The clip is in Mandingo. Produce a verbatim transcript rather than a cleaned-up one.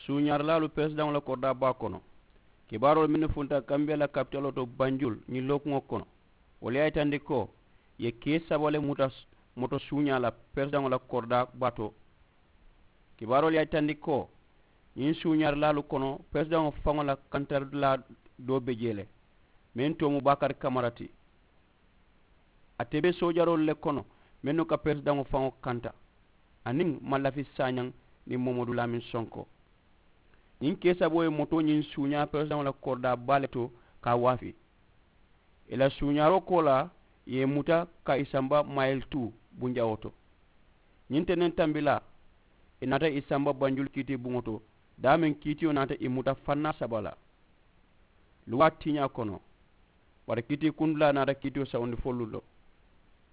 Suuñaarilaalu peresidaŋo la koridaa baa kono. Kibaaroolu mennu funta kambiyaa la kapitaloo to banjul ñiŋ lookuŋo kono, wolu ye a yitandi ko ì ye kee saba le muta moto suuñaa la peresidaŋo la koridaa baa to. Kibaaroolu ye a yitandi ko ñiŋ suuñaarilaalu kono peresidaŋo faŋo la kantarilaa doo be jee le, meŋ too mu baakari kamara ti. Ate be soojaroolu le kono mennu ka peresidaŋo faŋo kanta, aniŋ mallafi saañaŋ niŋ momadu laamin sonko. Ñiŋ kee saboo ye moto ñiŋ suuñaa peresidaŋo la koridaa baa le to ka a waafi. Ì la suuñaaroo koolaa ì ye ì muta ka ì samba mayili tuu bunjawoo to. Ñiŋ tendeŋ tambilaa ì naata ì samba banjulu kiitii buŋo to, daameŋ kiitiyo naata ì muta fannaa saba la luwaa tiiñaa kono. Bari kiitii kundulaa naata kiitiyo sawundi fo luŋ to.